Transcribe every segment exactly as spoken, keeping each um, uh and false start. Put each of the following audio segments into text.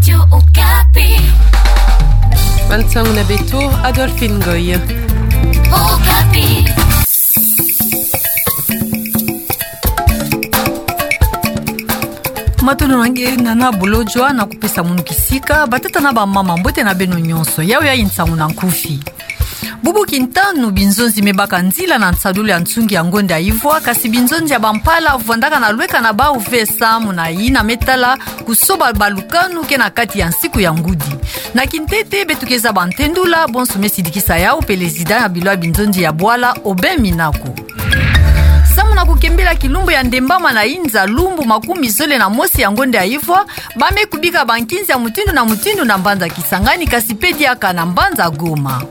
Radio Okapi. Bansango na beto, Adolphine Ngoy. Okapi. Matondo na nge, nana Bolodjwa, na kupesa munu kisika. Batata na bamama, mbote na beno nyonso. Yawu yayi nsangu na nkufi. Bubu kintanu binzonzi me baka nzila na nsadulu ya nsungi ya ngonde ya ivwa, kasi binzonzi ya bampala vwandaka na lweka na bawu ve samu na yina me tala kusoba balukanu ke na kati ya nsiku ya ngudi. Na kintete beto ke zaba ntendula bonso me sidikisa yawu, pelezida ya bilo ya binzonzi ya bwala, Aubin Minaku. Samu na kukembela kilumbu ya ndembama na inza, lumbu makumi zole na mosi ya ngonde ya ivwa, ba me kubika bankinzi ya mutindu na mutindu na mbanza Kisangani, kasi pe diaka na mbanza Goma.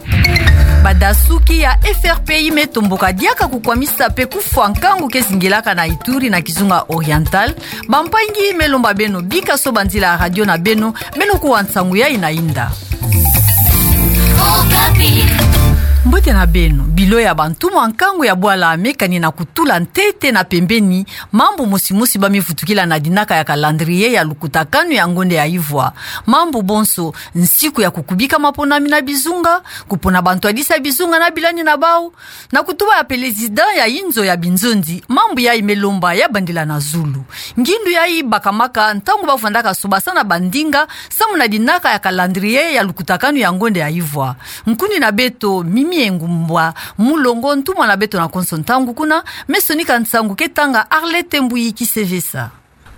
Badasuki ya F R P I me tomboka diaka kukwamisa pe kufwa nkangu ke zingilaka na Ituri na Kizunga Oriental. Bampangi, me lomba beno bika soba nzila ya radio na beno, beno kuwa nsangu yayi na inda. Okapi. Mbote na beno. Bilo ya bantumwa nkangu ya bwala me kani na kutula ntete na pembeni mambu mosi mosi ba me vutukila na dinaka ya calendrier ya lukutakanu ya ngonde ya ivwa. Mambu bonso: nsiku ya kukubika maponami na bizunga, kupona bantwadisi ya bizunga na bilani na bawu, na kutuba ya pelezida ya inzo ya binzonzi, mambu yayi me lomba ya bandila na zulu. Ngindu yayi bakamaka ntangu ba vwandaka sobasana bandinga samu na dinaka ya calendrier ya lukutakanu ya ngonde ya ivwa. Nkundi na beto, Mimi Engumba Mulongo, ntumwa na beto na konso ntangu kuna, me sonika nsangu ke tanga Arlette Mbuyi Kisevesa.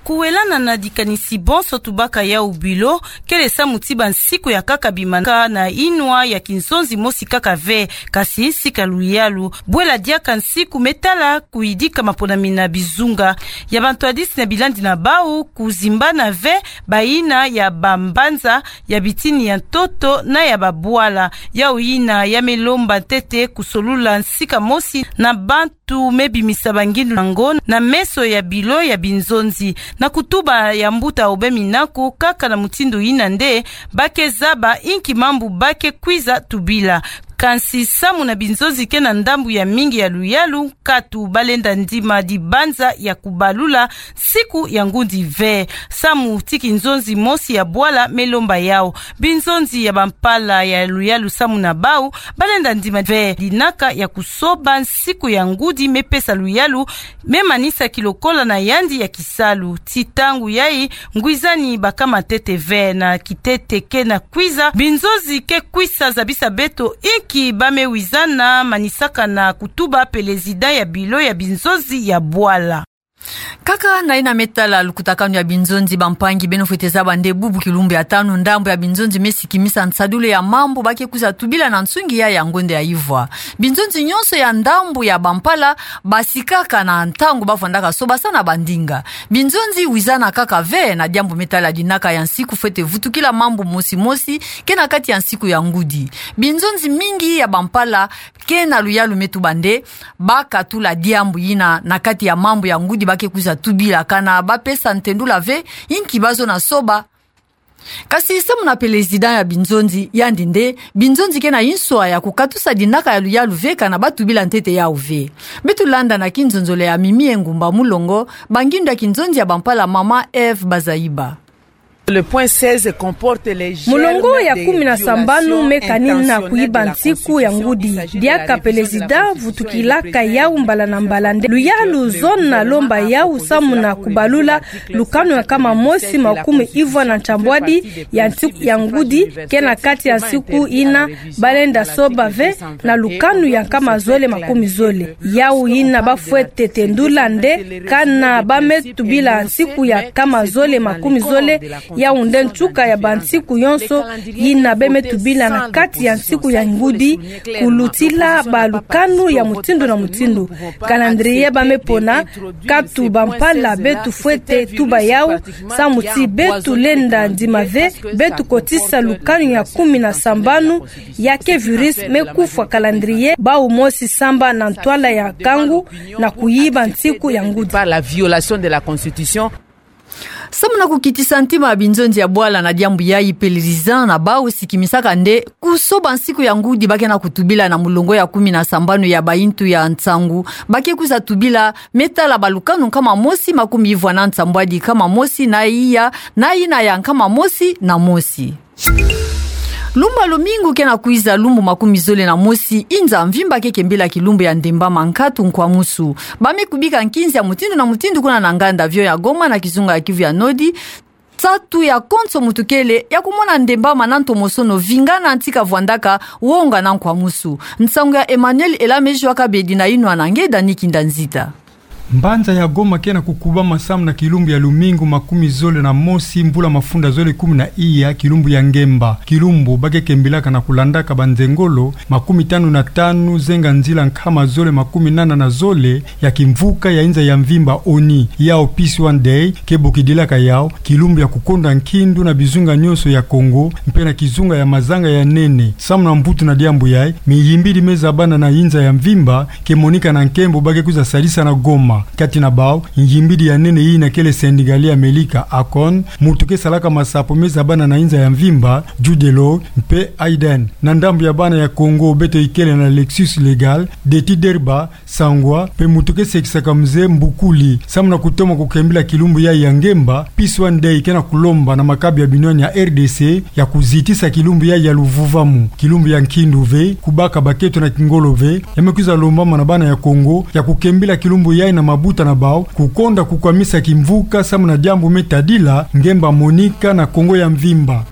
Kuwelana na dikanisi bonso tubaka yawu bilo, kele samu ti bansiku ya kaka bima kaka na inwa ya kinzonzi mosi kaka ve, kasi sika luyalu. Bwela diaka nsiku me tala kuyidika maponami na bizunga ya bantwadisi na bilandi na bawu, kuzimbana ve bayina ya bambanza, ya bitini ya ntoto na ya babwala. Yawu yina ya me lomba ntete kusolula nsika mosi na bantu me bimisa bangindu na ngo na meso ya bilo ya binzonzi. Na kutuba ya mbuta Aubin Minaku, kaka na mutindu yina nde ba ke zaba inki mambu ba ke kwiza tubila. Kansi samu na binzonzi ke na ndambu ya mingi ya luyalu, katu ba lenda ndima dibanza ya kubalula nsiku ya ngudi ve. Samu ti kinzonzi mosi ya bwala me lomba yawu. Binzonzi ya bampala ya luyalu samu na bawu ba lenda ndima ve dinaka ya kusoba nsiku ya ngudi me pesa luyalu, me manisa ki lokola na yandi ya kisalu. Ti ntangu yayi, ngwizani bakama ntete ve. Na kitete ke na kwiza, binzonzi ke kwisa zabisa beto inki ba me wizana, manisaka na kutuba pelezida ya bilo ya binzonzi ya bwala. Kaka na yina me tala lukutakanu ya binzonzi, bampangi, beno fwete zaba nde bubu kilumbu ya tanu, ndambu ya binzonzi me sikimisa nsadulu ya mambu ba ke kwiza tubila na nsungi ya ya ngonde ya ivwa. Binzonzi nyonso ya ndambu ya bampala basikaka na ntangu ba vwandaka sobasana bandinga. Binzonzi wizana kaka ve na diambu me tala dinaka ya nsiku fwete vutukila mambu mosi mosi ke na kati ya nsiku ya ngudi. Binzonzi mingi ya bampala ke na luyalu me tuba nde ba katula diambu yina na kati ya mambu ya ngudi ba ke kwiza tubila, kana ba pesa ntendula ve inki ba zona soba. Kasi samu na pelezida ya binzonzi, yandi nde binzonzi ke na inswa ya kukatusa dinaka ya luyalu ve kana ba tubila ntete yawu ve. Beto landa na kinzonzolo ya Mimi Engumba Mulongo, bangindu ya kinzonzi ya bampala, mama Eve Bazaiba. Le point seize comporte les germes de violation intentionnelle de la constitution de la Constitution. Mulongo ya kumi na sambanu me kani na kuyiba nsiku ya ngudi. Diaka pelezida vutukilaka yawu mbala na mbala nde luyalu zona lomba yawu samu na kubalula lukanu ya nkama mosi makumi ivwa na nsambwadi ya nsiku ya ngudi, ke na kati ya nsiku yina ba lenda soba ve na lukanu ya nkama zole makumi zole. Yawu yina ba fwete tendula nde kana ba me tubila nsiku ya nkama zole makumi zole, yawu nde nsuka ya bansiku yonso yina ba me tubila na kati ya nsiku ya ngudi, kulutila balukanu ya mutindu na mutindu. Calendrier ba me pona, katu bampala beto fwete tuba yawu, samu ti beto lenda ndima ve, beto kotisa lukanu ya kumi na sambanu ya ke virus me kufwa calendrier, bawu mosi samba na ntwala ya nkangu na kuyiba nsiku ya ngudi. Par la violation de la Constitution. Samu na kukitisa ntima ya binzonzi ya bwala na diambu yayi, pelelizan na bau sikimisaka nde kusoba nsiku ya ngudi ba ke na kutubila na mulongo ya kumi na sambanu ya bayintu ya nsangu, ba ke kwiza tubila me tala balukanu nkama mosi makumi ivwa na nsambwadi nkama mosi na iya, na yina ya nkama mosi na mosi. Lumbu ya lumingu ke na kwiza, lumbu makumi zole na mosi, inza mvimba ke kembila kilumbu ya ndembama nkatu nkwamusu. Ba me kubika nkinzi ya mutindu na mutindu kuna na nganda avion ya Goma na kizunga ya Kivu ya Nodi, nsatu ya konso mutu kele ya kumona ndembama na ntomosono vingana nti kavwandaka wonga na nkwamusu. Nsangu ya Emmanuel Elame Joua Kabedi na yinwa na nge Dani Kinda Nzita. Mbanza ya Goma ke na kukubama samu na kilumbu ya lumingu makumi zole na mosi, mvula mafunda zole kumi na iya, kilumbu ya ngemba. Kilumbu ba ke kembilaka na kulandaka banzengolo makumi tanu na tanu zenga nzila nkama zole makumi nana na zole ya kimvuka ya inza ya mvimba ONI. Yau Peace One Day ke bokidilaka yau kilumbu ya kukonda nkindu na bizunga nyonso ya Kongo, mpe na kizunga ya mazanga ya nene. Samu na mvutu na diambu yayi, miyimbidi me zabana na inza ya mvimba ke monika na nkembo ba ke kwiza sadisa na Goma. Kati na bau, nyimbidi ya nene yina kele Sendikali ya Amelika, Akon, mutu ke salaka masapo me zabana na inza ya mvimba, Jude Law, mpe Aiden. Na ndambu ya bana ya Kongo, beto ikele na Lexus Legal, Deti Derba, Sangwa, mpe mutu ke sekisaka mze Mbukuli. Samu na kutoma kukembila kilumbu yayi ya ngemba, Peace One Day ke na kulomba na makabu ya binwani ya R D C ya kuzitisa kilumbu yayi ya luvuvamu. Kilumbu ya nkindu ve, kubaka bakento na kingolo ve, ya me kwiza lombama na bana ya Kongo ya kukembila kilumbu yayi na mabuta na bau, kukonda kukwamisa kimvuka samu na diambu me tadila ngemba monika na Kongo ya mvimba.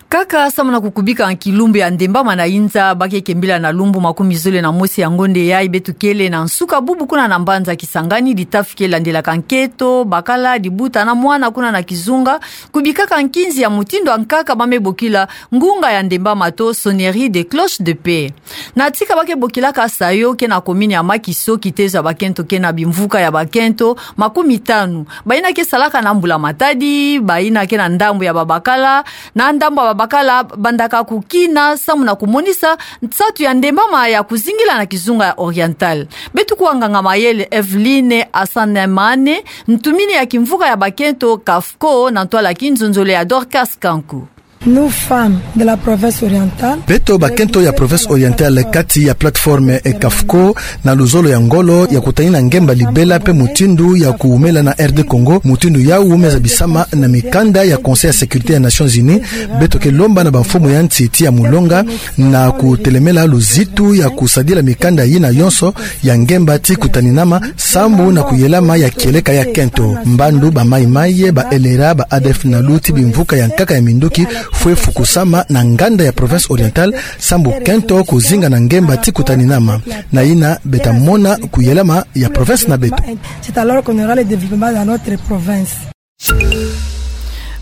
Kaka samu na kukubika kilumbu ya ndembama na inza, ba ke kembila na lumbu makumi zole na mosi ya ngonde yayi beto kele na nsuka bubu kuna na mbanza Kisangani, ditafi ke landelaka nkento, bakala, dibuta na mwana kuna na kizunga, kubikaka nkinzi ya mutindu ya nkaka ba me bokila ngunga ya ndembama to sonnerie de cloche de paix. Na tika ba ke bokilaka sayo ke na commune ya Makiso, kitezo ya bakento ke na bimvuka ya bakento makumi tanu. Bayina ke salaka na mbula-matadi, bayina ke na ndambu ya babakala, na ndambu ya babakala bandaka kukina samu na kumonisa nsatu ya ndembama ya kuzingila na kizunga ya Oriental. Beto kuwa nganga-mayele Evelyne Asanemane, ntumini ya kimvuka ya bakento CAFCO, na ntwala ya kinzonzolo ya Dorcas Kanku. Nous, femmes de la province orientale. Beto bakento ya province orientale, kati ya plateforme CAFCO, na luzolo ya ngolo ya kutanina ngemba libela mpe mutindu ya kuwumela na R D Congo, mutindu yau me zabisama na mikanda ya Conseil ya Sécurité ya Nations Unies, beto ke lomba na bamfumu ya nsi tii ya mulonga na kutelemela luzitu ya kusadila mikanda yina yonso ya ngemba tii kutaninama, sambu na kuyelama ya kieleka ya kento. Mbandu ba mayi-mayi, ba L R A, ba A D F, NALU tii bimvuka ya nkaka ya minduki fwe fukusama na nganda ya province orientale, sambu kento kuzinga na ngemba tii kutaninama. Na yina beta mona kuyelama ya province na beto. C'est alors qu'on aura le développement dans notre province.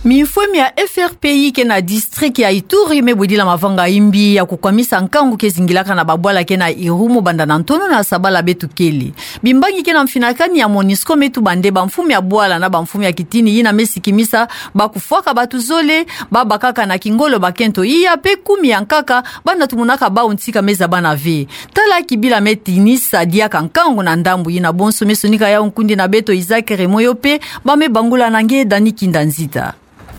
Mifwemi ya F R P I ke na district ya Ituri me bwidila mavanga imbi ya kukwamisa nkangu ke zingilaka na babwala ke na Irumu banda na ntono na sabala beto kele. Bimbangi ke na mfinakani ya MONUSCO me tuba nde bamfumu ya bwala na bamfumu ya kitini yina me sikimisa bakufwaka bantu zole, babakaka na kingolo bakento iya mpe kumi ya nkaka, banda tumonaka bau ntika me zabana ve. Tala kibila me tinisa diaka nkangu na ndambu yina, bonso me sonika yau nkundi na beto Isaac Remoyo mpe ba me bangula na nge Dani Kinda Nzita.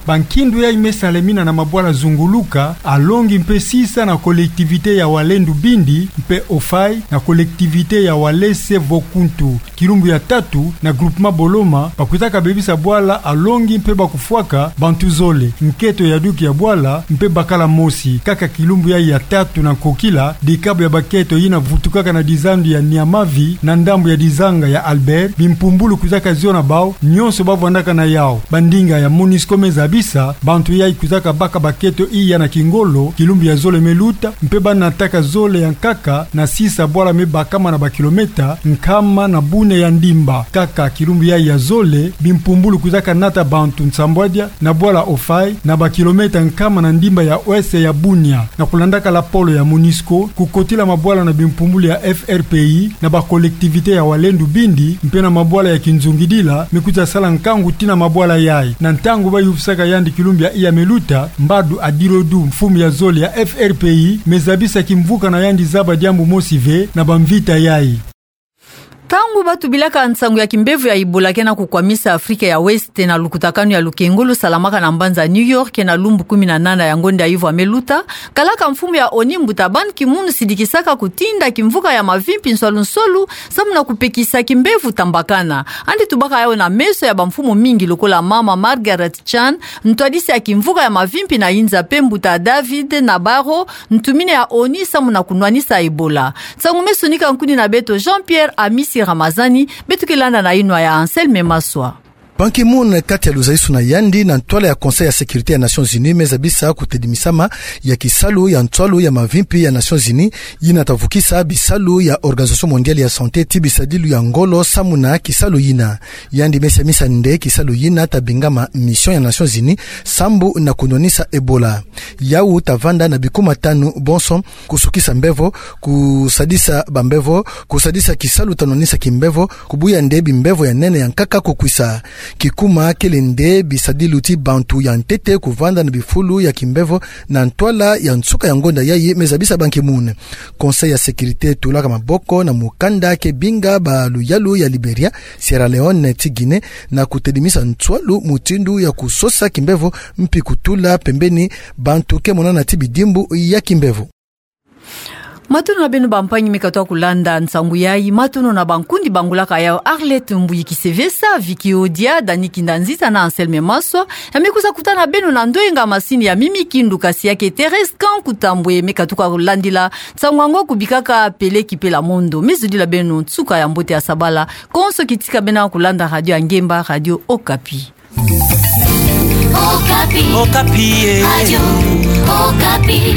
Bankindu yayi me salemina na mabwala zunguluka, Alongi mpe Sisa na collectivité ya Walendu Bindi, mpe Ofai na collectivité ya Walese Vokuntu. Kilumbu ya tatu na groupement Boloma, bakwizaka bebisa bwala Alongi mpe bakufwaka bantu zole, nkento ya duki ya bwala mpe bakala mosi. Kaka kilumbu yayi ya tatu na nkokila, dikabu ya bakento yina vutukaka na dizandu ya Niamavi na ndambu ya dizanga ya Albert, bimpumbulu kwizaka ziona bau, nyonso bavwandaka na yau. Bandinga ya MONUSCO me zabisa, bantu yayi kwizaka baka bakento iya na kingolo, kilumbu ya zole me luta, mpe ba nataka zole ya nkaka na Sisa bwala me bakama na bakilometa nkama na bune ya ndimba. Kaka kilumbu yayi ya zole, bimpumbulu kwizaka nata bantu nsambwadia na bwala Ofai na bakilometa nkama na ndimba ya ouest ya Bunia. Na kulandaka lapolo ya MONUSCO, kukotila mabwala na bimpumbulu ya F R P I na bacollectivité ya Walendu Bindi, mpe na mabwala ya kinzungidila, me kwiza sala nkangu tii na mabwala yayi. Na ntangu bayufisaka yandi kilumbu ya iya me luta, Mbadu Adirodu, mfumu ya zole ya F R P I, me zabisa kimvuka na yandi zaba diambu mosi ve na bamvita yayi. Ntangu batubilaka nsangu ya kimbevo ya Ebola ke na kukwamisa Afrika ya Ouest na lukutakanu ya lukengo lusalamaka na mbanza New York na lumbu kumi na nana ya ngonda ya ivo ya me luta, kalaka mfumu ya ONU mbuta Ban Ki-moon sidikisaka kutinda kimvuka ya mavimpi nswalu nswalu, samu na kupekisa kimbevo tambakana. Yandi tubaka yawu na meso ya bamfumu mingi lokola mama Margaret Chan, ntwadisi ya kimvuka ya mavimpi na inza, mpe mbuta David Nabarro, ntumini ya ONU samu na kunwanisa Ebola. Nsangu me sonika nkuni na beto Jean-Pierre Amisi Ramazani, beto ke landa na yinwa ya Anselme Maswa. Ban Ki-moon, kati ya luzalisu na yandi na ntwala ya Conseil ya Sécurité ya Nations Unies, me zabisa kutedimisama ya kisalu ya nswalu ya mavimpi ya Nations Unies, yina ta vukisa bisalu ya Organisation Mondiale ya Santé ti bisadilu ya ngolo samu na kisalu yina. Yandi me siamisa nde kisalu yina ta bingama mission ya Nations Unies sambu na kunwanisa Ebola. Yawu ta vanda na bikuma tanu bonso: kusukisa mbevo, kusadisa bambevo, kusadisa kisalu ta nwanisa kimbevo, kubuya nde bimbevo ya nene ya nkaka kukwisa. Kikuma kele nde bisadilu ti bantu ya ntete kuvanda na bifulu ya kimbevo na ntwala ya nsuka ya ngonda yayi, me zabisa Ban Ki-moon. Conseil ya Sécurité tulaka maboko na mukanda ke binga baluyalu ya Liberia, Sierra Leone ti Guinée, na kutedimisa nswalu mutindu ya kusosa kimbevo mpi kutula pembeni bantu ke monana ti bidimbu ya kimbevo. Matondo na beno bampangi me katuka kulanda nsangu yayi. Matondo na bankundi bangolaka yawu: Arlette Mbuyi Kisevesa, Vicky Odia, Dani Kinda Nzita na Anselme Maswa. Ya me kwiza kutana beno na ndoyenga masini ya Mimi Kindu, kasi ya ke Thérèse Kanku Tambwe me katuka kulandila nsangu yango kubikaka Peleki Pela Mondo. Me zodila beno nsuka ya mbote ya sabala. Konso kitika beno kulanda radio ya ngemba, Radio Okapi. Okapi. Okapi, eh. Radio Okapi.